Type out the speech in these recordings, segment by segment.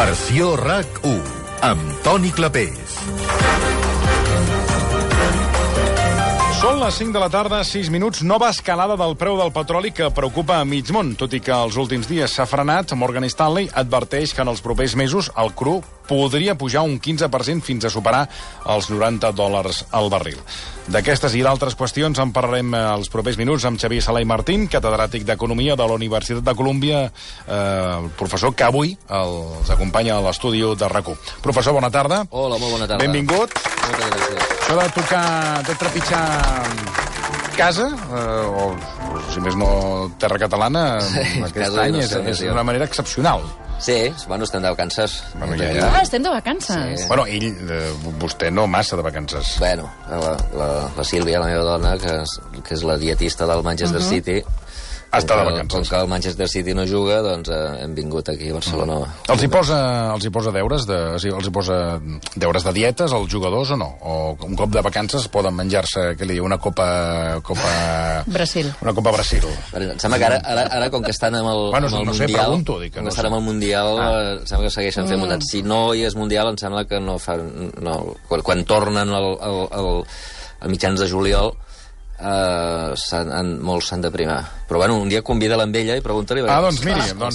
Versió RAC1, amb Toni Clapés. Són les 5 de la tarda, 6 minuts. Nova escalada del preu del petroli que preocupa a mig món. Tot i que els últims dies s'ha frenat, Morgan Stanley adverteix que en els propers mesos el cru podria pujar un 15% fins a superar els $90 al barril. D'aquestes i d'altres qüestions en parlarem els propers minuts amb Xavier Sala i Martín, catedràtic d'Economia de la Universitat de Colúmbia, el professor que avui els acompanya a l'estudi de RAC1. Professor, bona tarda. Hola, molt bona tarda. Benvingut. Moltes gràcies. Això de tocar, de trepitjar casa, o si més no terra catalana, aquest any és una manera excepcional. Sí, bueno, estem de vacances. Bueno, Ah, estem de vacances. Sí. Bueno, vostè no massa de vacances. Bueno, la Sílvia, la meva dona, que és la dietista del Manchester City, Està de vacances. com que el Manchester City no juga, doncs hem vingut aquí a Barcelona. Els hi posa deures els hi posa deures de dietes als jugadors o no? O un cop de vacances poden menjar-se, què li diu, una copa... Brasil. Una copa Brasil. Em sembla que ara com que estan amb el, Bueno, amb el no sé, Mundial... pregunto, dic que com no que estan sé. amb el Mundial, em sembla que segueixen fent muntat. Si no hi és Mundial, em sembla que no fan... No, quan tornen a mitjans de juliol, molts s'han de primar. Però bueno, un dia convida-la amb ella i pregunta-li... Doncs miri, no,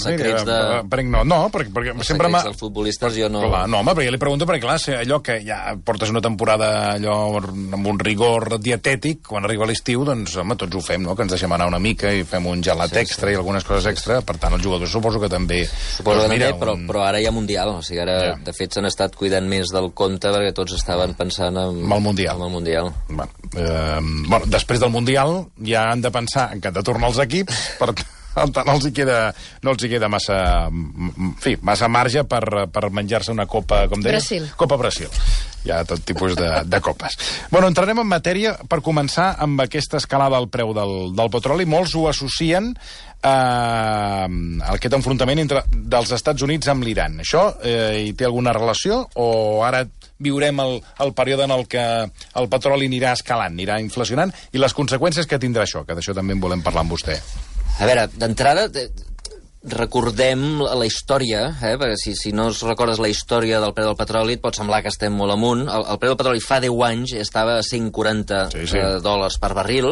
perquè Els sempre secrets dels futbolistes jo no... Clar, no, home, però jo li pregunto perquè, clar, allò que ja portes una temporada allò amb un rigor dietètic, quan arriba l'estiu, doncs, home, tots ho fem, no?, que ens deixem anar una mica i fem un gelat extra i algunes coses extra, per tant, els jugadors suposo que també... Suposo que també, però ara hi ha Mundial, o sigui, ara, de fet, s'han estat cuidant més del compte perquè tots estaven pensant en el Mundial. En el Mundial. Bueno, després del Mundial ja han de pensar que han de tornar els equips, per tant no els hi queda massa marge per menjar-se una copa, com deies? Brasil. Copa Brasil. Hi ha tot tipus de copes. Bueno, entrarem en matèria per començar amb aquesta escalada al preu del petroli. Molts ho associen a aquest enfrontament dels Estats Units amb l'Iran. Això hi té alguna relació o ara viurem el període en el que el petroli anirà escalant, anirà inflacionant, i les conseqüències que tindrà això, que d'això també en volem parlar amb vostè. A veure, d'entrada, recordem la història, perquè si no es recordes la història del preu del petroli, et pot semblar que estem molt amunt. El preu del petroli fa 10 anys estava a $140 per barril.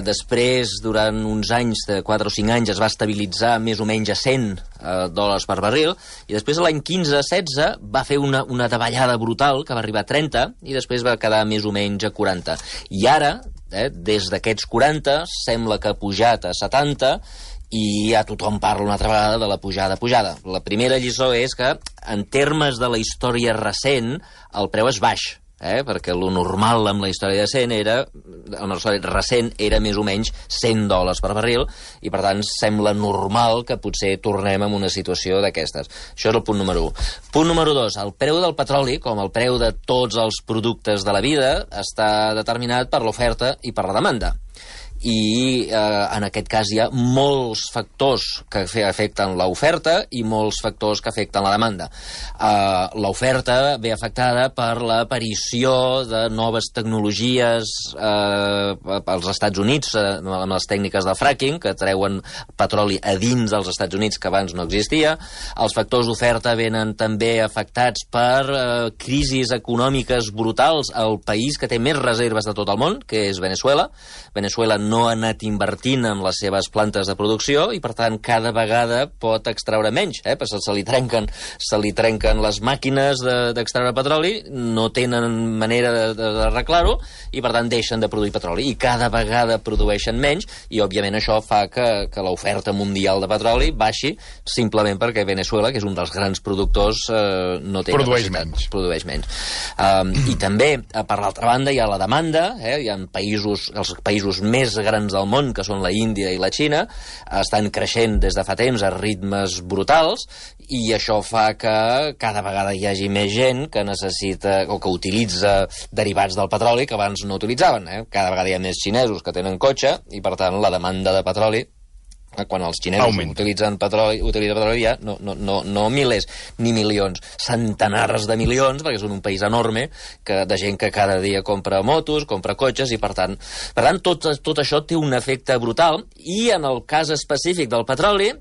Després, durant uns anys, de 4 o 5 anys, es va estabilitzar més o menys a $100 per barril, i després l'any 15-16 va fer una davallada brutal, que va arribar a 30, i després va quedar més o menys a 40. I ara, des d'aquests 40, sembla que ha pujat a 70, i ja tothom parla una altra vegada de la pujada. La primera lliçó és que, en termes de la història recent, el preu és baix, perquè lo normal amb la història recent era més o menys $100 per barril, i per tant sembla normal que potser tornem a una situació d'aquestes. Això és el punt número 1. Punt número 2, el preu del petroli, com el preu de tots els productes de la vida, està determinat per l'oferta i per la demanda. I en aquest cas hi ha molts factors que afecten l'oferta i molts factors que afecten la demanda. L'oferta ve afectada per l'aparició de noves tecnologies als Estats Units, amb les tècniques de fracking, que treuen petroli a dins dels Estats Units que abans no existia. Els factors d'oferta venen també afectats per crisis econòmiques brutals al país que té més reserves de tot el món, que és Veneçuela. Veneçuela no ha anat invertint en les seves plantes de producció i, per tant, cada vegada pot extraure menys, perquè se li trenquen les màquines d'extreure petroli, no tenen manera d'arreglar-ho i, per tant, deixen de produir petroli. I cada vegada produeixen menys i, òbviament, això fa que l'oferta mundial de petroli baixi simplement perquè Veneçuela, que és un dels grans productors, no té capacitat. Produeix menys. I també, per l'altra banda, hi ha la demanda, hi ha els països més grans del món, que són la Índia i la Xina, estan creixent des de fa temps a ritmes brutals, i això fa que cada vegada hi hagi més gent que necessita o que utilitza derivats del petroli que abans no utilitzaven. Cada vegada hi ha més xinesos que tenen cotxe i, per tant, la demanda de petroli, quan els xinesos utilitzen petroli ja no milers ni milions, centenars de milions, perquè són un país enorme de gent que cada dia compra motos, compra cotxes, i per tant tot això té un efecte brutal. I en el cas específic del petroli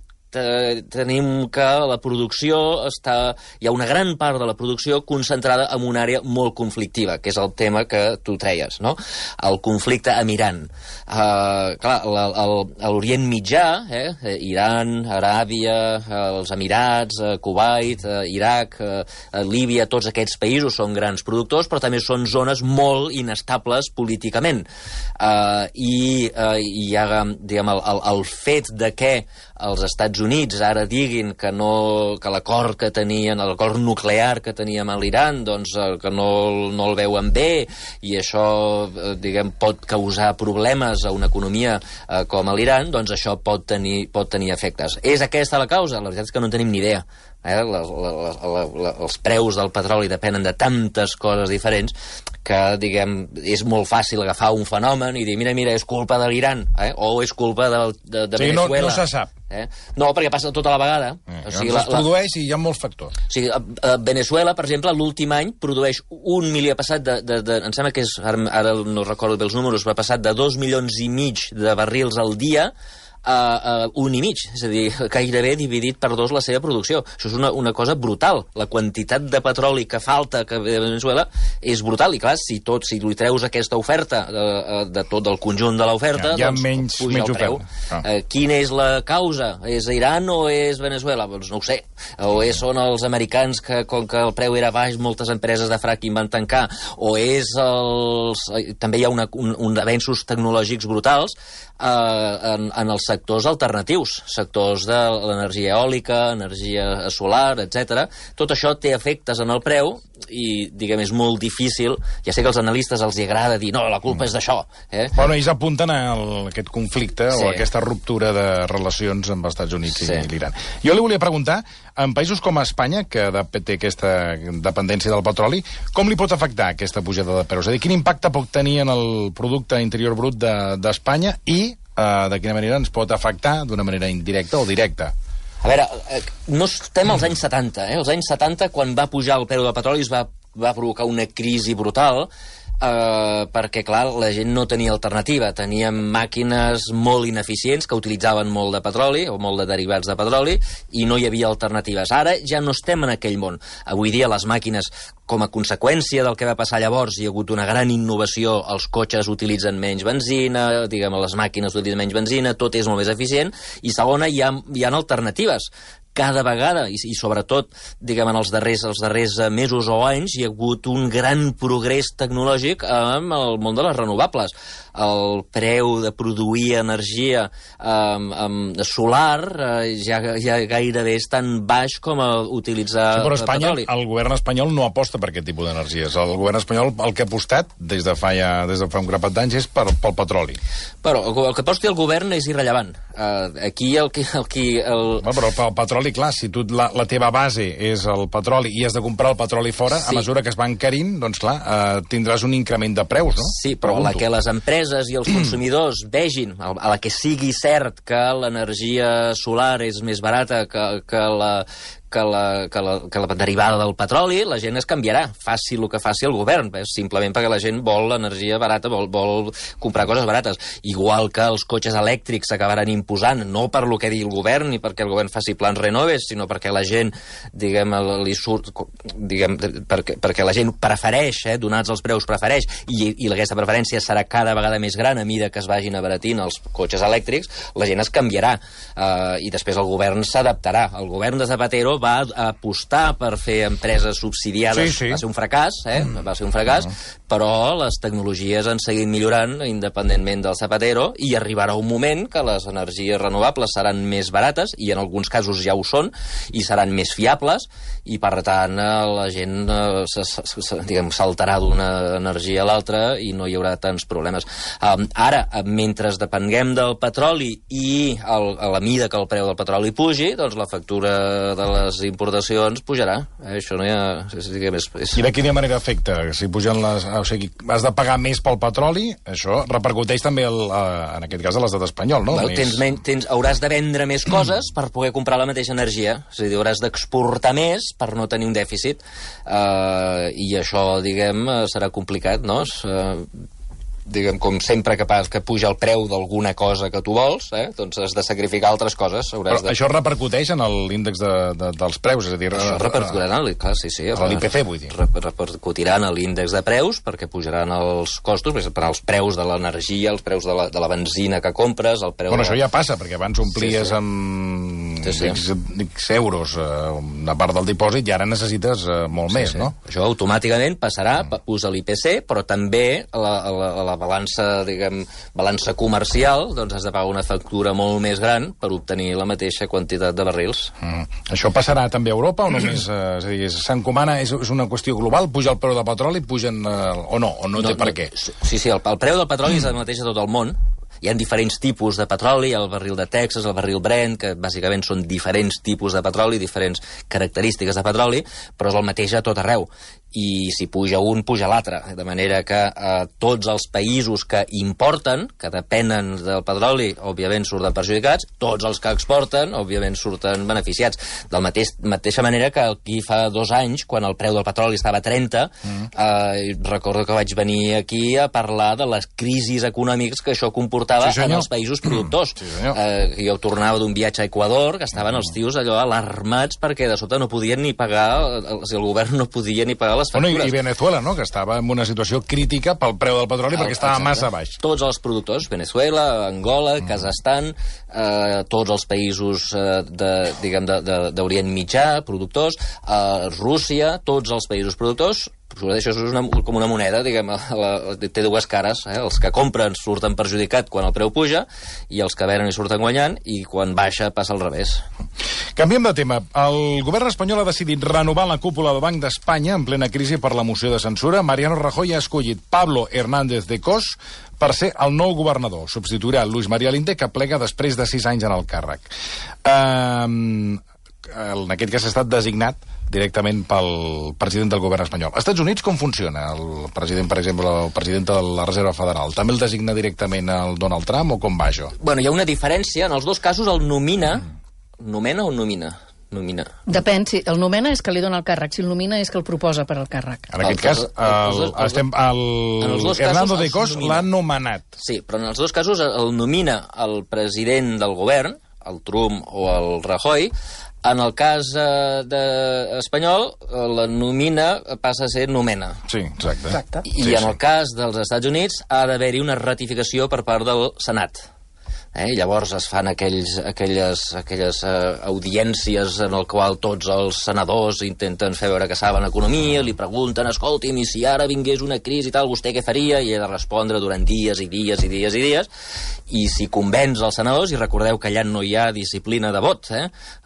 tenim que la producció hi ha una gran part de la producció concentrada en una àrea molt conflictiva, que és el tema que tu treies, no? El conflicte amb Iran. Clar, l'Orient Mitjà, Iran, Aràbia, els Emirats, Kuwait, Iraq, Líbia, tots aquests països són grans productors, però també són zones molt inestables políticament. I hi ha, diguem, el fet de que els Estats Units ara diguin que l'acord que tenien, l'acord nuclear que teníem a l'Iran, doncs que no el veuen bé, i això, diguem, pot causar problemes a una economia com a l'Iran, doncs això pot tenir efectes. És aquesta la causa? La veritat és que no en tenim ni idea. Els preus del petroli depenen de tantes coses diferents que, diguem, és molt fàcil agafar un fenomen i dir, mira, és culpa de l'Iran, o és culpa de Venezuela. No se sap. No, perquè passa tota la vegada. O sigui, es produeix i hi ha molts factors. O sigui, Venezuela, per exemple, l'últim any produeix 1 milió, passat em sembla que és, ara no recordo bé els números, va passar de 2,5 milions de barrils al dia a 1,5, és a dir, gairebé dividit per 2 la seva producció. Això és una cosa brutal. La quantitat de petroli que falta de Venezuela és brutal, i clar, si li treus aquesta oferta de tot el conjunt de l'oferta, doncs puja el preu. Quina és la causa? És Iran o és Venezuela? Doncs no ho sé. O són els americans que, com que el preu era baix, moltes empreses de fracking van tancar, o és també hi ha uns avenços tecnològics brutals en els sectors alternatius, sectors de l'energia eòlica, energia solar, etc. Tot això té efectes en el preu i, diguem, és molt difícil. Ja sé que als analistes els agrada dir, no, la culpa és d'això. Bueno, ells apunten a aquest conflicte o a aquesta ruptura de relacions amb els Estats Units i l'Iran. Jo li volia preguntar, en països com Espanya, que té aquesta dependència del petroli, com li pot afectar aquesta pujada de preus? És a dir, quin impacte pot tenir en el producte interior brut d'Espanya i de quina manera ens pot afectar d'una manera indirecta o directa? A veure, no estem als anys 70. Els anys 70, quan va pujar el preu del petroli, es va provocar una crisi brutal, perquè, clar, la gent no tenia alternativa. Teníem màquines molt ineficients que utilitzaven molt de petroli o molt de derivats de petroli i no hi havia alternatives. Ara ja no estem en aquell món. Avui dia les màquines, com a conseqüència del que va passar llavors, hi ha hagut una gran innovació, els cotxes utilitzen menys benzina, diguem, les màquines utilitzen menys benzina, tot és molt més eficient, i segona, hi ha alternatives. Cada vegada, i sobretot, diguem, en els darrers mesos o anys, hi ha hagut un gran progrés tecnològic en el món de les renovables. El preu de produir energia solar ja gairebé és tan baix com utilitzar però Espanya, petroli. El govern espanyol no aposta per aquest tipus d'energies. El govern espanyol el que ha apostat des de fa un grapat d'anys és pel petroli. Però el que aposti el govern és irrellevant. Aquí Però el petroli, clar, si tu la teva base és el petroli i has de comprar el petroli fora, a mesura que es va encarint, doncs clar, tindràs un increment de preus, no? Sí, però que les empreses i els consumidors vegin, a la que sigui cert que l'energia solar és més barata que la derivada del petroli, la gent es canviarà, faci el que faci el govern, simplement perquè la gent vol l'energia barata, vol comprar coses barates. Igual que els cotxes elèctrics s'acabaran imposant, no per lo que digui el govern ni perquè el govern faci plans renoves, sinó perquè la gent, diguem, li surt, diguem, perquè la gent prefereix, donats els preus, prefereix, i aquesta preferència serà cada vegada més gran a mida que es vagin abaratint els cotxes elèctrics, la gent es canviarà, i després el govern s'adaptarà. El govern de Zapatero va apostar per fer empreses subsidiades. Sí. Va ser un fracàs, va ser un fracàs, però les tecnologies han seguit millorant independentment del Zapatero i arribarà un moment que les energies renovables seran més barates, i en alguns casos ja ho són, i seran més fiables, i per tant la gent saltarà d'una energia a l'altra i no hi haurà tants problemes. Ara, mentre depenguem del petroli i a la mida que el preu del petroli pugi, doncs la factura de les importacions pujarà. Això no hi ha... I de quina manera afecta? Si pugen o sigui, has de pagar més pel petroli, això repercuteix també, en aquest cas, a l'estat espanyol, no? Hauràs de vendre més coses per poder comprar la mateixa energia. És a dir, hauràs d'exportar més per no tenir un dèficit. I això, diguem, serà complicat, no? diguem, com sempre que puja el preu d'alguna cosa que tu vols, doncs has de sacrificar altres coses. Però això repercuteix en l'índex dels preus, és a dir... Això repercutirà, clar, sí. L'IPC, vull dir. Repercutiran a l'índex de preus, perquè pujaran els costos, per als preus de l'energia, els preus de la benzina que compres, el preu... Bueno, això ja passa, perquè abans omplies amb X euros una part del dipòsit i ara necessites molt més, no? Això automàticament passarà, usa l'IPC, però també a la balança, diguem, balança comercial, doncs has de pagar una factura molt més gran per obtenir la mateixa quantitat de barrils. Això passarà també a Europa o només, és a dir, s'encomana, és una qüestió global? Puja el preu del petroli, pugen o no té per què? Sí, el preu del petroli és el mateix a tot el món. Hi ha diferents tipus de petroli, el barril de Texas, el barril Brent, que bàsicament són diferents tipus de petroli, diferents característiques de petroli, però és el mateix a tot arreu. I si puja un, puja l'altre. De manera que tots els països que importen, que depenen del petroli, òbviament surten perjudicats, tots els que exporten, òbviament surten beneficiats. De la mateixa manera que aquí fa 2 anys, quan el preu del petroli estava a 30, recordo que vaig venir aquí a parlar de les crisis econòmiques que això comportava en els països productors. Jo tornava d'un viatge a Equador, que estaven els tios allò alarmats perquè de sota no podien ni pagar, el govern no podia ni pagar les factures. I Venezuela, no?, que estava en una situació crítica pel preu del petroli perquè estava massa baix. Tots els productors, Venezuela, Angola, Kazakhstan, tots els països d'Orient Mitjà, productors, Rússia, tots els països productors. Això és com una moneda, diguem, té dues cares. Els que compren surten perjudicat quan el preu puja i els que venen hi surten guanyant, i quan baixa passa al revés. Canviem de tema. El govern espanyol ha decidit renovar la cúpula del Banc d'Espanya en plena crisi per la moció de censura. Mariano Rajoy ha escollit Pablo Hernández de Cos per ser el nou governador. Substituirà Luis María Linde, que plega després de 6 anys en el càrrec. En aquest cas ha estat designat directament pel president del govern espanyol. Als Estats Units com funciona? El president, per exemple, el president de la Reserva Federal, també el designa directament el Donald Trump o com va això? Bueno, hi ha una diferència. En els dos casos el nomina... Nomena o nomina? Nomina. Depèn, si el nomena és que li dona el càrrec, si el nomina és que el proposa per al càrrec. En aquest cas, Hernando de Cos l'ha nomenat. Sí, però en els dos casos el nomina el president del govern, el Trump o el Rajoy. En el cas espanyol, la nomina passa a ser nomena. Sí, exacte. I en el cas dels Estats Units ha d'haver-hi una ratificació per part del Senat. Llavors es fan aquelles audiències en el qual tots els senadors intenten fer veure que saben economia, li pregunten, escolti'm, i si ara vingués una crisi i tal, vostè què faria? I ha de respondre durant dies i dies i dies i dies, i si convenç els senadors, i recordeu que allà no hi ha disciplina de vot,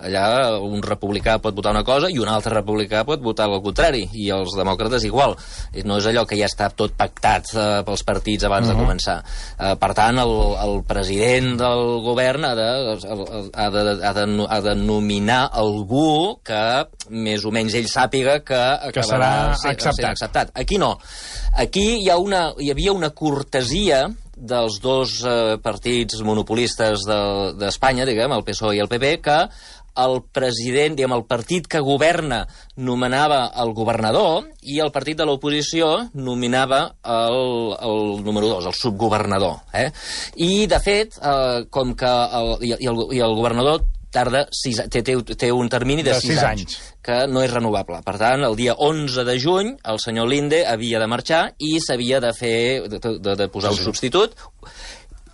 allà un republicà pot votar una cosa i un altre republicà pot votar el contrari, i els demòcrates igual. No és allò que ja està tot pactat pels partits abans de començar. Per tant, el president del govern ha de nominar algú que més o menys ell sàpiga que acabarà sent acceptat. Aquí no. Aquí hi havia una cortesia dels dos partits monopolistes d'Espanya, diguem, el PSOE i el PP, que el president, diguem, el partit que governa nomenava el governador i el partit de l'oposició nominava el número 2, el subgovernador. I, de fet, com que el governador té un termini de 6 anys, que no és renovable. Per tant, el dia 11 de juny, el senyor Linde havia de marxar i s'havia de posar un substitut.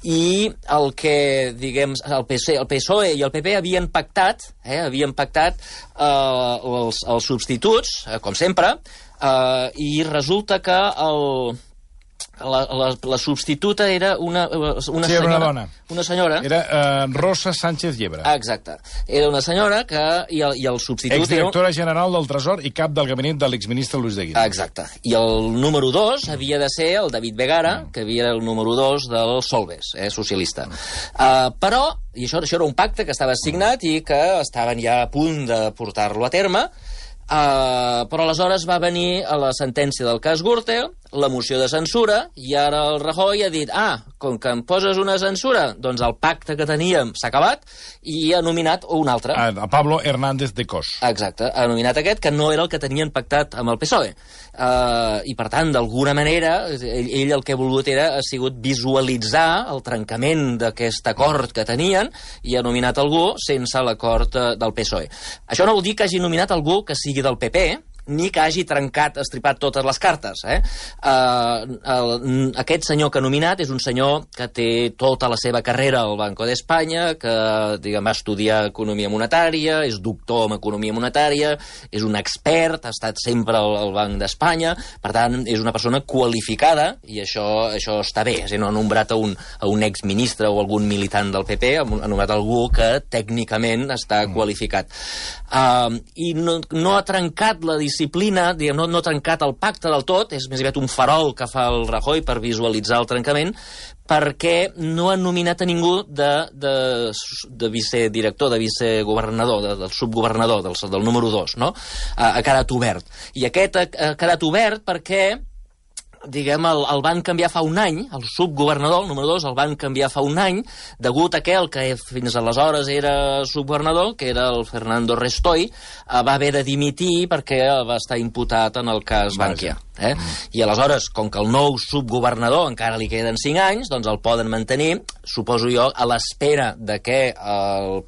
I el que, diguem, el PSOE i el PP havien pactat els substituts, com sempre, i resulta que la substituta era una dona. Una senyora. Era Rosa Sánchez Llebre. Exacte. Era una senyora que... I el substitut... Exdirectora general del Tresor i cap del gabinet de l'exministre Luis de Guindos. Exacte. I el número 2 havia de ser el David Begara, que havia el número 2 del Solbes, socialista. Però, i això era un pacte que estava signat i que estaven ja a punt de portar-lo a terme, però aleshores va venir a la sentència del cas Gürtel la moció de censura, i ara el Rajoy ha dit, com que em poses una censura, doncs el pacte que teníem s'ha acabat, i ha nominat un altre. A Pablo Hernández de Cos. Exacte, ha nominat aquest, que no era el que tenien pactat amb el PSOE. I, per tant, d'alguna manera, ell el que ha volgut ha sigut visualitzar el trencament d'aquest acord que tenien, i ha nominat algú sense l'acord del PSOE. Això no vol dir que hagi nominat algú que sigui del PP, ni que hagi estripat totes les cartes. Aquest senyor que ha nominat és un senyor que té tota la seva carrera al Banco d'Espanya, que va estudiar economia monetària, és doctor en economia monetària, és un expert, ha estat sempre al Banc d'Espanya, per tant, és una persona qualificada, i això està bé. No ha nombrat a un exministre o algun militant del PP, ha nombrat algú que tècnicament està qualificat. I no ha trencat la disciplina, no ha trencat el pacte del tot, és més aviat un farol que fa el Rajoy per visualitzar el trencament, perquè no han nominat a ningú de vicedirector, de vicegovernador, del subgovernador, del número 2, no? Ha quedat obert. I aquest ha quedat obert perquè el van canviar fa un any, el subgovernador, el número 2, el van canviar fa un any, degut a que el que fins aleshores era subgovernador, que era el Fernando Restoy, va haver de dimitir perquè va estar imputat en el cas Bankia. I aleshores, com que el nou subgovernador encara li queden 5 anys, doncs el poden mantenir, suposo jo, a l'espera de que el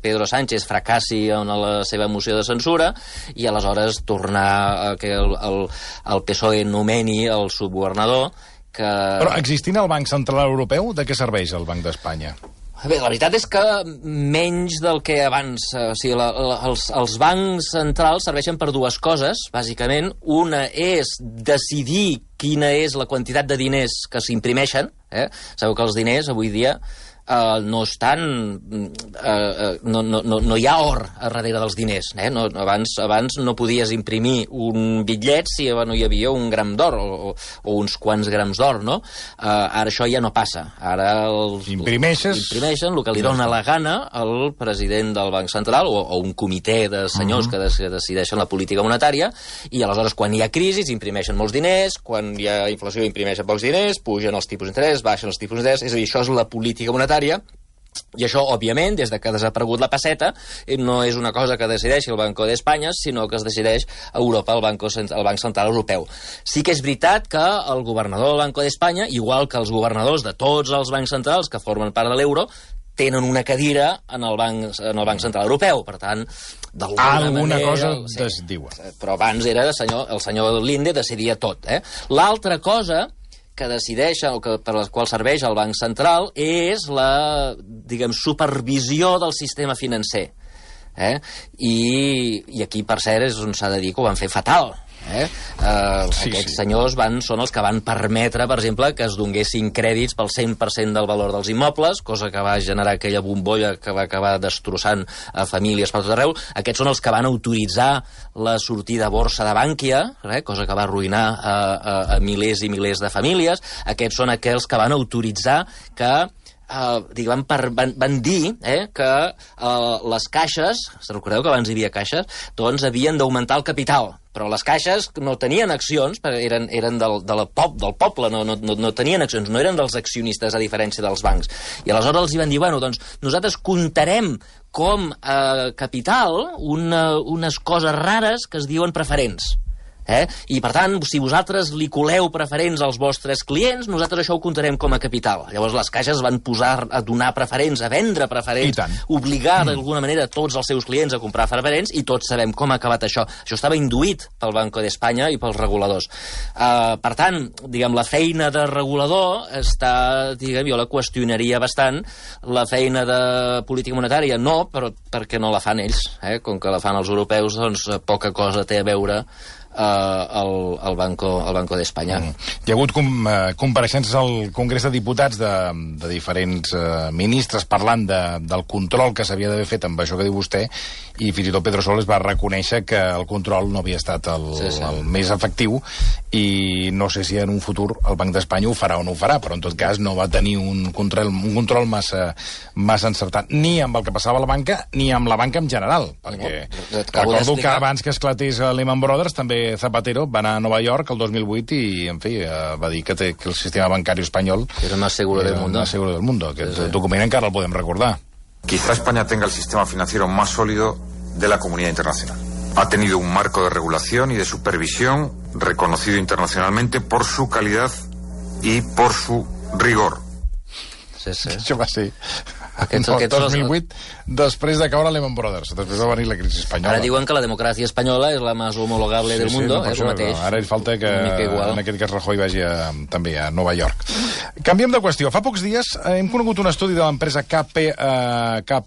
Pedro Sánchez fracassi en la seva moció de censura, i aleshores tornar a que el PSOE nomeni el subgovernador. Però existint el Banc Central Europeu, de què serveix el Banc d'Espanya? Bé, la veritat és que menys del que abans. Els bancs centrals serveixen per dues coses, bàsicament. Una és decidir quina és la quantitat de diners que s'imprimeixen. Sabeu que els diners, avui dia, no estan... No hi ha or a darrere dels diners. Abans no podies imprimir un bitllet si no hi havia un gram d'or o uns quants grams d'or, no? Ara això ja no passa. Ara imprimeixen el que li dona la gana al president del Banc Central o un comitè de senyors que decideixen la política monetària, i aleshores quan hi ha crisi imprimeixen molts diners, quan hi ha inflació imprimeixen pocs diners, pugen els tipus d'interès, baixen els tipus d'interès, és a dir, això és la política monetària. I això, òbviament, des que ha desaparegut la pesseta, no és una cosa que decideixi el Banco d'Espanya, sinó que es decideix a Europa, el Banc Central Europeu. Sí que és veritat que el governador del Banco d'Espanya, igual que els governadors de tots els bancs centrals que formen part de l'euro, tenen una cadira en el Banc Central Europeu. Per tant, alguna cosa es diuen. Però abans era el senyor Linde decidia tot. L'altra cosa que decideix, o per la qual serveix el Banc Central, és la, supervisió del sistema financer. I aquí, per cert, és on s'ha de dir que ho van fer fatal. Aquests senyors són els que van permetre, per exemple, que es donessin crèdits pel 100% del valor dels immobles, cosa que va generar aquella bombolla que va acabar destrossant a famílies per tot arreu. Aquests són els que van autoritzar la sortida a borsa de Bankia, cosa que va arruïnar a milers i milers de famílies. Aquests són aquells que van autoritzar que van dir que les caixes, recordeu que abans hi havia caixes, doncs havien d'augmentar el capital, però les caixes no tenien accions, eren del poble, no tenien accions, no eren dels accionistes, a diferència dels bancs. I aleshores els van dir, doncs nosaltres comptarem com a capital unes coses rares que es diuen preferents. I, per tant, si vosaltres li coleu preferents als vostres clients, nosaltres això ho comptarem com a capital. Llavors les caixes van posar a donar preferents, a vendre preferents, obligar d'alguna manera tots els seus clients a comprar preferents, i tots sabem com ha acabat això. Això estava induït pel Banco d'Espanya i pels reguladors. Per tant, la feina de regulador està, jo la qüestionaria bastant. La feina de política monetària no, però perquè no la fan ells. Com que la fan els europeus, doncs poca cosa té a veure al Banco d'Espanya. Hi ha hagut compareixences al Congrés de Diputats de diferents ministres parlant del control que s'havia d'haver fet amb això que diu vostè, i fins i tot Pedro Soles va reconèixer que el control no havia estat el més efectiu, i no sé si en un futur el Banc d'Espanya ho farà o no ho farà, però en tot cas no va tenir un control massa encertat, ni amb el que passava a la banca, ni amb la banca en general, perquè recordo que abans que esclatés Lehman Brothers també Jorge Zapatero va anar a Nova York el 2008 i, en fi, va dir que el sistema bancari espanyol era el más seguro del mundo. El más seguro del mundo. Aquest document encara el podem recordar. Quizá España tenga el sistema financiero más sólido de la comunidad internacional. Ha tenido un marco de regulación y de supervisión reconocido internacionalmente por su calidad y por su rigor. Sí, sí. Això va ser el 2008, després de caure Lehman Brothers. Després va venir la crisi espanyola. Ara diuen que la democràcia espanyola és la més homologable del mundo, és el mateix. Ara hi falta que, en aquest cas, Rajoy vagi també a Nova York. Canviem de qüestió. Fa pocs dies hem conegut un estudi de l'empresa KPMG,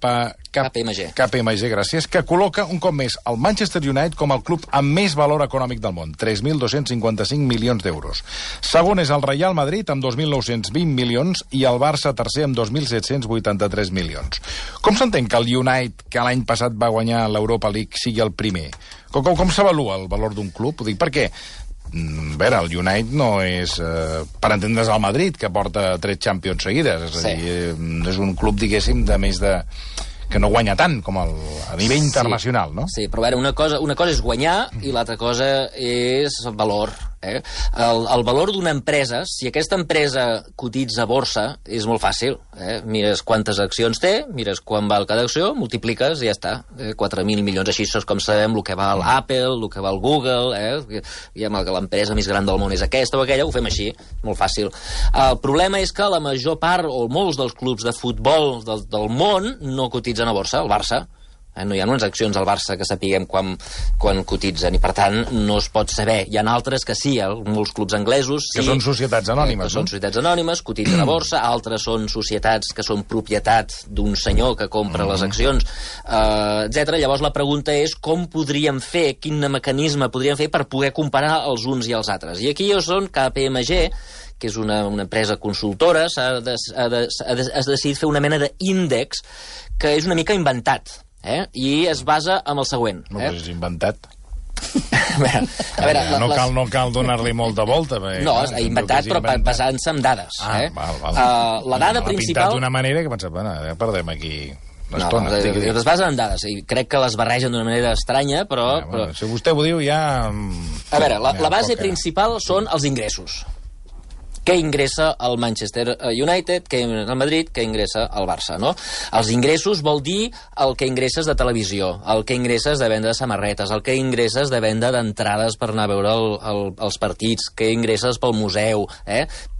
gràcies, que col·loca un cop més el Manchester United com el club amb més valor econòmic del món, 3.255 milions d'euros. Segon és el Real Madrid, amb 2.920 milions, i el Barça tercer, amb 2.783 milions. Com s'entén que el United, que l'any passat va guanyar l'Europa League, sigui el primer? Com s'avalua el valor d'un club? Ho dic perquè, a veure, el United no és, per entendre's, el Madrid, que porta 3 Champions seguides. És a dir, és un club, diguéssim, de més de... que no guanya tant com a nivell internacional, no? Sí, però a veure, una cosa és guanyar i l'altra cosa és valor. El valor d'una empresa, si aquesta empresa cotitza a borsa, és molt fàcil. Mires quantes accions té, mires quan val cada acció, multipliques i ja està. 4.000 milions, així és com sabem el que val Apple, el que val Google, diguem que l'empresa més gran del món és aquesta o aquella, ho fem així, molt fàcil. El problema és que la major part, o molts dels clubs de futbol del món no cotitzen a borsa, el Barça. No hi ha unes accions al Barça que sapiguem quan cotitzen i, per tant, no es pot saber. Hi ha altres que sí, molts clubs anglesos sí, que són societats anònimes, són societats anònimes, cotitzen a borsa, altres són societats que són propietat d'un senyor que compra les accions, etc. Llavors la pregunta és com podríem fer, quin mecanisme podríem fer per poder comparar els uns i els altres. I aquí són KPMG, que és una empresa consultora, ha decidit fer una mena d'índex que és una mica inventat. I es basa en el següent. No, però és inventat. A veure, no cal donar-li molta volta. No, és inventat, però basant-se en dades. La dada principal... L'ha pintat d'una manera que pensava, ja perdem aquí l'estona. Es basen en dades, i crec que les barregen d'una manera estranya, però... Si vostè ho diu, ja... A veure, la base principal són els ingressos. Què ingressa el Manchester United, què ingressa el Madrid, què ingressa el Barça, no? Els ingressos vol dir el que ingresses de televisió, el que ingresses de venda de samarretes, el que ingresses de venda d'entrades per anar a veure els partits, què ingresses pel museu,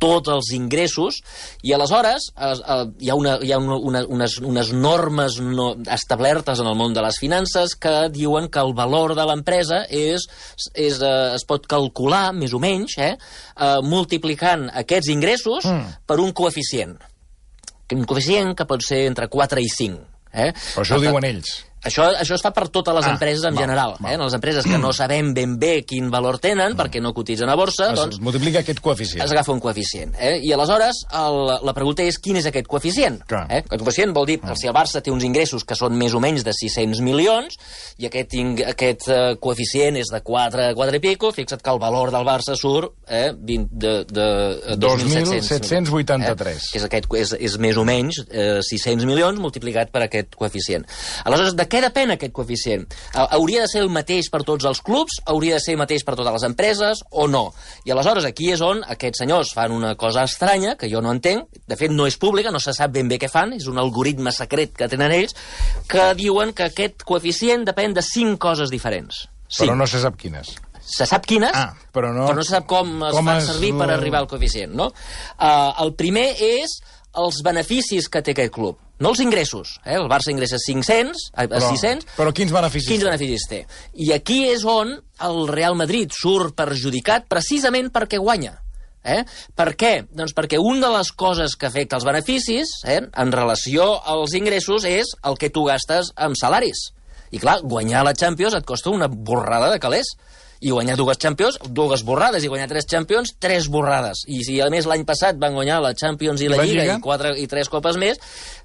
tots els ingressos, i aleshores hi ha unes normes establertes en el món de les finances que diuen que el valor de l'empresa es pot calcular, més o menys, multiplicant aquests ingressos per un coeficient. Un coeficient que pot ser entre 4 i 5. Però això ho diuen ells. Això es fa per totes les empreses en general. Les empreses que no sabem ben bé quin valor tenen perquè no cotitzen a borsa, doncs... Es multiplica aquest coeficient. Es agafa un coeficient. I aleshores la pregunta és quin és aquest coeficient. Aquest coeficient vol dir si el Barça té uns ingressos que són més o menys de 600 milions i aquest coeficient és de 4 i pico, fixa't que el valor del Barça surt de 2.783. És més o menys 600 milions multiplicat per aquest coeficient. Aleshores, de què depèn aquest coeficient? Hauria de ser el mateix per tots els clubs? Hauria de ser el mateix per totes les empreses? O no? I aleshores aquí és on aquests senyors fan una cosa estranya, que jo no entenc, de fet no és pública, no se sap ben bé què fan, és un algoritme secret que tenen ells, que diuen que aquest coeficient depèn de 5 coses diferents. Però no se sap quines. Se sap quines, però no se sap com es fa servir per arribar al coeficient, no? El primer és els beneficis que té aquest club, no els ingressos. El Barça ingressa 600. Però quins beneficis? Quins beneficis té? I aquí és on el Real Madrid surt perjudicat precisament perquè guanya. Per què? Doncs perquè una de les coses que afecta els beneficis en relació als ingressos és el que tu gastes amb salaris. I clar, guanyar la Champions et costa una borrada de calés. I guanyar 2 Champions, 2 borrades, i guanyar 3 Champions, 3 borrades. I si a més l'any passat van guanyar la Champions i la Lliga i 3 copes més,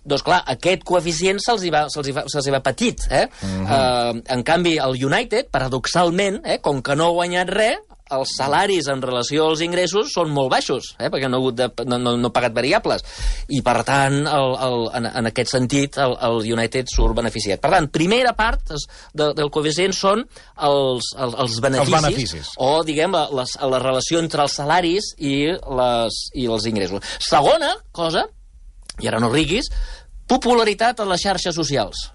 doncs clar, aquest coeficient se'ls hi va petit. En canvi, el United, paradoxalment, com que no ha guanyat res, els salaris en relació als ingressos són molt baixos, perquè no ha pagat variables. I, per tant, en aquest sentit, el United surt beneficiat. Per tant, primera part del coeficient són els beneficis. O, diguem, la relació entre els salaris i els ingressos. Segona cosa, i ara no riguis, popularitat a les xarxes socials.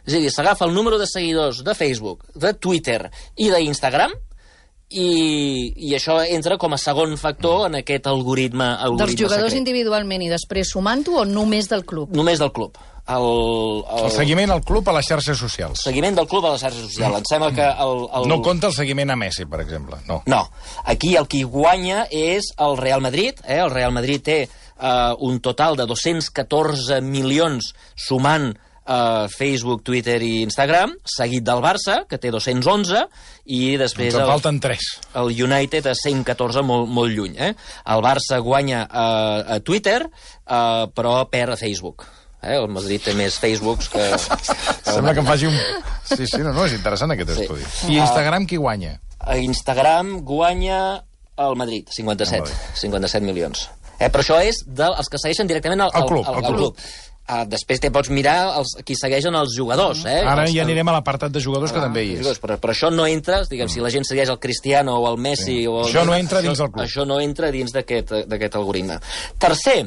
És a dir, s'agafa el número de seguidors de Facebook, de Twitter i d'Instagram, i això entra com a segon factor en aquest algoritme Dels jugadors secret. Individualment i després sumant-ho o només del club? Només del club. El seguiment al club a les xarxes socials. Seguiment del club a les xarxes socials. Em sembla que No compta el seguiment a Messi, per exemple. No. Aquí el qui guanya és el Real Madrid. El Real Madrid té un total de 214 milions sumant Facebook, Twitter i Instagram, seguit del Barça, que té 211, i després... Ens en falten 3. El United a 114, molt lluny. El Barça guanya a Twitter, però perd a Facebook. El Madrid té més Facebooks que... Sembla que em faci un... Sí, no, és interessant aquest estudi. I Instagram qui guanya? A Instagram guanya el Madrid, 57 milions. Però això és dels que segueixen directament al club. Després te pots mirar qui segueixen els jugadors. Ara ja anirem a l'apartat de jugadors, que també hi és. Però això no entra, diguem, si la gent segueix el Cristiano o el Messi... Això no entra dins del club. Això no entra dins d'aquest algoritme. Tercer,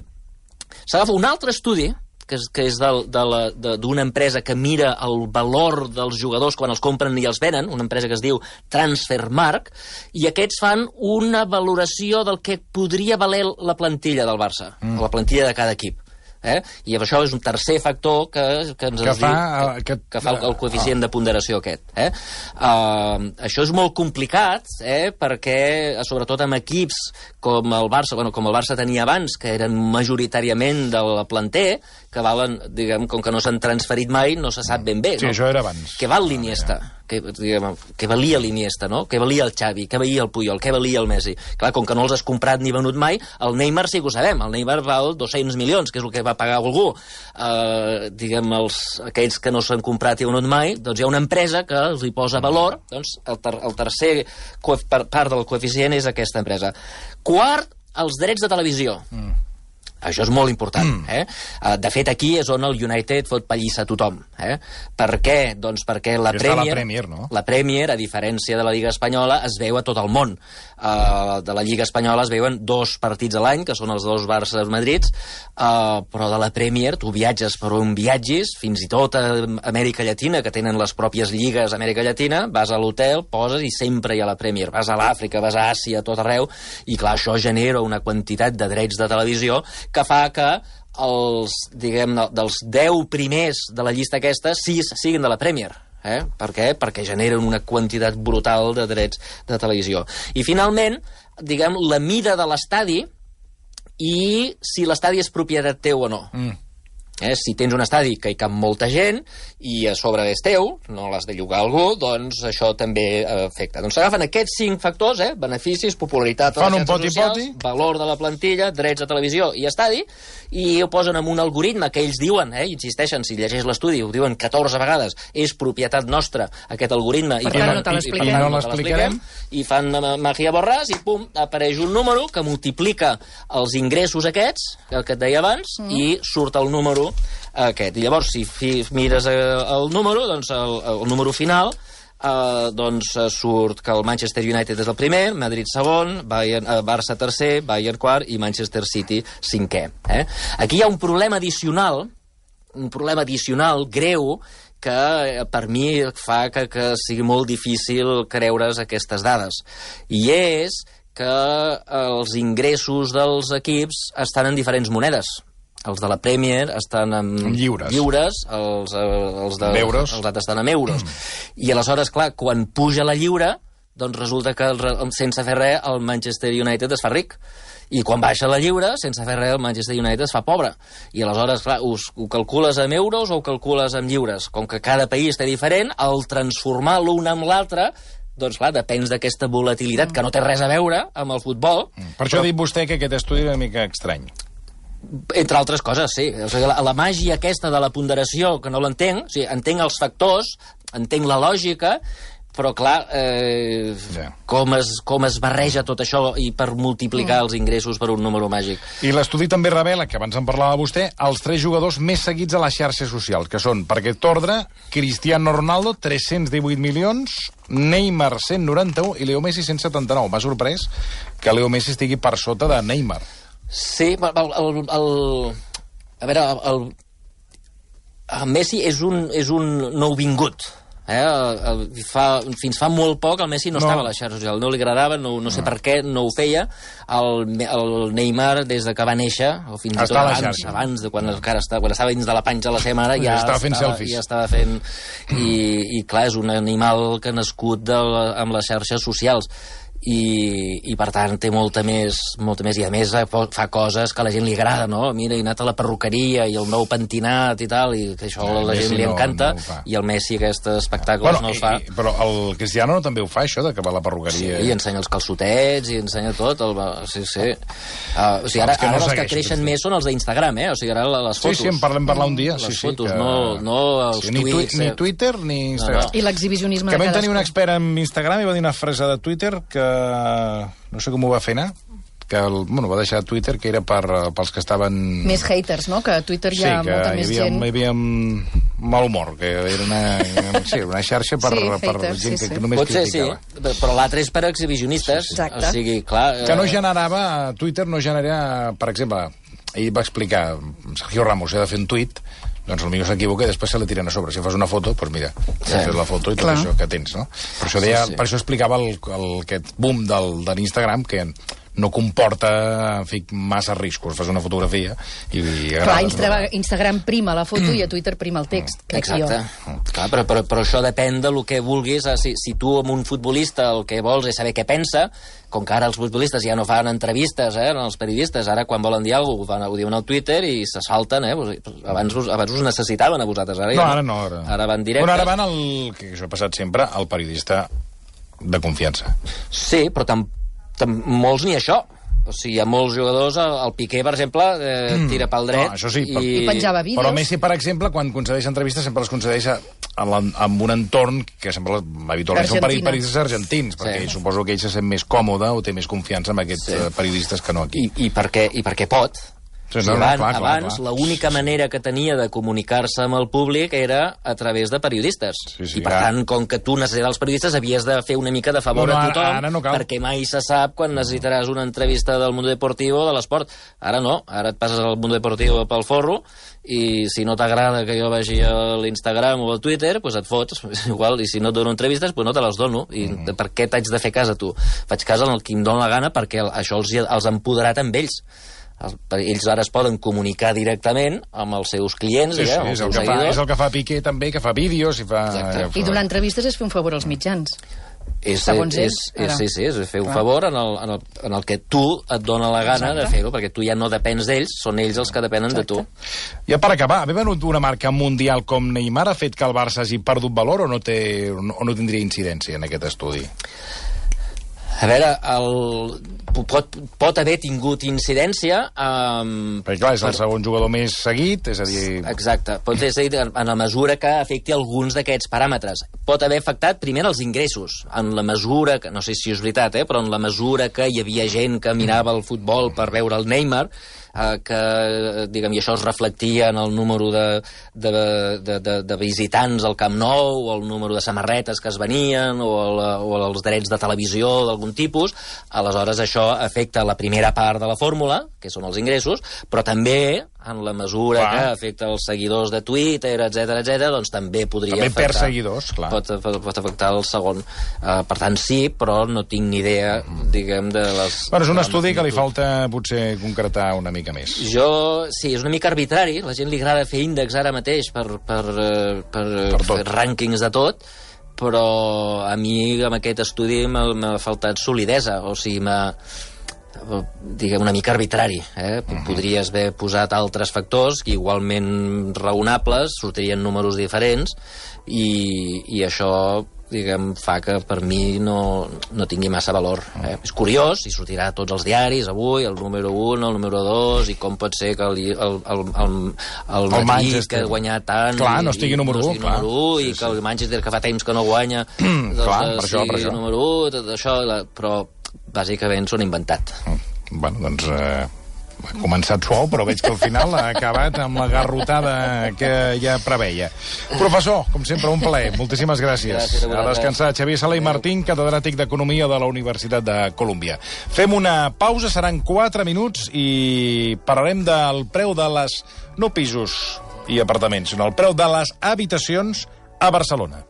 s'agafa un altre estudi, que és d'una empresa que mira el valor dels jugadors quan els compren i els venen, una empresa que es diu Transfermarkt, i aquests fan una valoració del que podria valer la plantilla del Barça, la plantilla de cada equip. I això és un tercer factor que fa el coeficient de ponderació aquest. Això és molt complicat, perquè, sobretot amb equips com el Barça, com el Barça tenia abans, que eren majoritàriament de la planter, que valen, diguem, com que no s'han transferit mai, no se sap ben bé. Sí, això era abans. Què val l'Iniesta? Què valia l'Iniesta, no? Què valia el Xavi? Què valia el Puyol? Què valia el Messi? Clar, com que no els has comprat ni venut mai, el Neymar sí que ho sabem. El Neymar val 200 milions, que és el que va pagar algú. Diguem, aquells que no s'han comprat i venut mai, doncs hi ha una empresa que els hi posa valor. Doncs el tercer part del coeficient és aquesta empresa. Quart, els drets de televisió. Això és molt important. De fet, aquí és on el United fot pallissa a tothom. Per què? Doncs perquè la Premier, no? La Premier, a diferència de la Lliga Espanyola, es veu a tot el món. De la Lliga Espanyola es veuen 2 partits a l'any, que són els 2 Barça-Madrids, però de la Premier tu viatges per on viatgis, fins i tot a Amèrica Llatina, que tenen les pròpies lligues a Amèrica Llatina, vas a l'hotel, poses i sempre hi ha la Premier. Vas a l'Àfrica, vas a Àsia, a tot arreu, i clar, això genera una quantitat de drets de televisió que fa que dels 10 primers de la llista aquesta, 6 siguin de la Premier. Per què? Perquè generen una quantitat brutal de drets de televisió. I finalment, diguem, la mida de l'estadi i si l'estadi és propietat teu o no. Si tens un estadi que hi cap molta gent i a sobre és teu, no l'has de llogar a algú, doncs això també afecta. Doncs s'agafen aquests 5 factors, beneficis, popularitat a les xarxes socials, valor de la plantilla, drets de televisió i estadi, i ho posen en un algoritme que ells diuen, insisteixen, si llegeix l'estudi, ho diuen 14 vegades, és propietat nostra, aquest algoritme, per tant no te l'explicarem, i fan màgia borràs i pum, apareix un número que multiplica els ingressos aquests, que et deia abans, i surt el número aquest. I llavors, si mires el número, doncs el número final, doncs surt que el Manchester United és el primer, Madrid segon, Barça tercer, Bayern quart i Manchester City cinquè. Aquí hi ha un problema addicional greu, que per mi fa que sigui molt difícil creure's aquestes dades. I és que els ingressos dels equips estan en diferents monedes. Els de la Premier estan en lliures, els altres estan en euros. I aleshores, clar, quan puja la lliura, doncs resulta que sense fer res el Manchester United es fa ric. I quan baixa la lliura, sense fer res el Manchester United es fa pobre. I aleshores, clar, ho calcules amb euros o ho calcules amb lliures? Com que cada país té diferent, al transformar l'un amb l'altre, doncs clar, depèn d'aquesta volatilitat que no té res a veure amb el futbol. Per això ha dit vostè que aquest estudi és una mica estrany. Entre altres coses, sí. O sigui, la màgia aquesta de la ponderació, que no l'entenc, o sigui, entenc els factors, entenc la lògica, però clar, com es barreja tot això i per multiplicar els ingressos per un número màgic. I l'estudi també revela, que abans en parlava vostè, els 3 jugadors més seguits a les xarxes socials, que són, per aquest ordre, Cristiano Ronaldo, 318 milions, Neymar, 191, i Leo Messi, 179. M'ha sorprès que Leo Messi estigui per sota de Neymar. Sí, a veure, el Messi és un nouvingut. Fins fa molt poc el Messi no estava a la xarxa social, no li agradava, no sé per què no ho feia. El Neymar, des de que va néixer, o fins i tot abans de quan estava dins de la panxa de la seva mare, ja estava fent i clar, és un animal que ha nascut amb les xarxes socials i per tant té molta més, i a més fa coses que a la gent li agrada, no? Mira, he anat a la perruqueria i el nou pentinat i tal, i que això a la gent li encanta, i el Messi aquests espectacles no els fa. Però el Cristiano també ho fa, això, de que va a la perruqueria. Sí, i ensenya els calçotets, i ensenya tot. Sí. O sigui, ara els que creixen més són els d'Instagram, O sigui, ara les fotos. Sí, en parlem parlar un dia. Les fotos, no els tuits. Ni Twitter ni Instagram. I l'exhibicionisme de cadascú. Que vam tenir un expert en Instagram i va dir una frase de Twitter que no sé com ho va fer anar, que va deixar Twitter, que era pels que estaven... Més haters, no? Que a Twitter hi ha molta més gent. Sí, que hi havia mal humor, que era una xarxa per gent que només criticava. Sí, però l'altre és per exhibicionistes. Exacte. O sigui, clar... Que no generava, Twitter no genera, per exemple, ell va explicar, Sergio Ramos ha de fer un tuit, doncs potser s'equivoca i després se la tiren a sobre. Si fas una foto, doncs mira, has fet la foto i tot això que tens, no? Per això explicava aquest boom de l'Instagram, que no comporta massa riscos. Fas una fotografia i... Clar, Instagram prima la foto i a Twitter prima el text. Exacte. Clar, però això depèn del que vulguis. Si tu, amb un futbolista, el que vols és saber què pensa, com que ara els futbolistes ja no fan entrevistes, els periodistes, ara quan volen dir alguna cosa ho diuen al Twitter i se salten, Abans us necessitaven a vosaltres, ara ja no. Ara van directe. Ara van que això ha passat sempre, el periodista de confiança. Sí, però molts ni això. O sigui, hi ha molts jugadors, el Piqué, per exemple, tira pel dret. No, això sí, i penjava vídeos. Però Messi, per exemple, quan concedeix entrevistes, sempre les concedeix amb un entorn que sempre habitualment són periodistes argentins, perquè suposo que ell se sent més còmode o té més confiança en aquests periodistes que no aquí. I perquè pot. Abans, l'única manera que tenia de comunicar-se amb el públic era a través de periodistes. I, per tant, com que tu necessites els periodistes, havies de fer una mica de favor a tothom, perquè mai se sap quan necessitaràs una entrevista del Mundo Deportivo o de l'esport. Ara no, ara et passes al Mundo Deportivo pel forro i si no t'agrada que jo vagi a l'Instagram o al Twitter, doncs et fots, igual, i si no et dono entrevistes, doncs no te les dono. I per què t'haig de fer cas a tu? Faig cas al qui em dóna la gana, perquè això els ha empoderat amb ells. Ells ara es poden comunicar directament amb els seus clients, és el que fa Piqué també, que fa vídeos i fa... I donar entrevistes és fer un favor als mitjans. Segons ells, és fer un favor en el que tu et dona la gana de fer-ho, perquè tu ja no depens d'ells, són ells els que depenen de tu. Ja per acabar, haver venut una marca mundial com Neymar ha fet que el Barça hagi perdut valor o no tindria incidència en aquest estudi? A veure, pot haver tingut incidència... Perquè clar, és el segon jugador més seguit, és a dir... Exacte, pot ser seguit en la mesura que afecti alguns d'aquests paràmetres. Pot haver afectat primer els ingressos, en la mesura, que no sé si és veritat, però en la mesura que hi havia gent que mirava el futbol per veure el Neymar, que, diguem, i això es reflectia en el número de visitants al Camp Nou, o el número de samarretes que es venien, o els drets de televisió d'algun tipus. Aleshores això afecta la primera part de la fórmula, que són els ingressos, però també en la mesura que afecta els seguidors de Twitter, etc, doncs també podria afectar... També per seguidors, clar. Pot afectar el segon. Per tant, sí, però no tinc ni idea, diguem, de les... Bueno, és un estudi que li falta potser concretar una mica més. Sí, és una mica arbitrari. La gent li agrada fer índexs ara mateix per fer rànquings de tot, però a mi amb aquest estudi m'ha faltat solidesa, o sigui, diguem, una mica arbitrari. Podries haver posat altres factors que igualment raonables, sortirien números diferents, i això, diguem, fa que per mi no tingui massa valor. És curiós, i sortirà a tots els diaris avui, el número 1, el número 2, i com pot ser que el Madrid, que ha guanyat tant... Clar, no estigui número 1, clar. I que el Manchester, que fa temps que no guanya, clar, per això. número 1, tot això, però bàsicament són inventat. Bueno, doncs... ha començat suau, però veig que al final ha acabat amb la garrotada que ja preveia. Professor, com sempre, un plaer. Moltíssimes gràcies. A descansar. Xavier Sala i Martín, catedràtic d'Economia de la Universitat de Colúmbia. Fem una pausa, seran 4 minuts, i parlarem del preu de les... no pisos i apartaments, sinó el preu de les habitacions a Barcelona.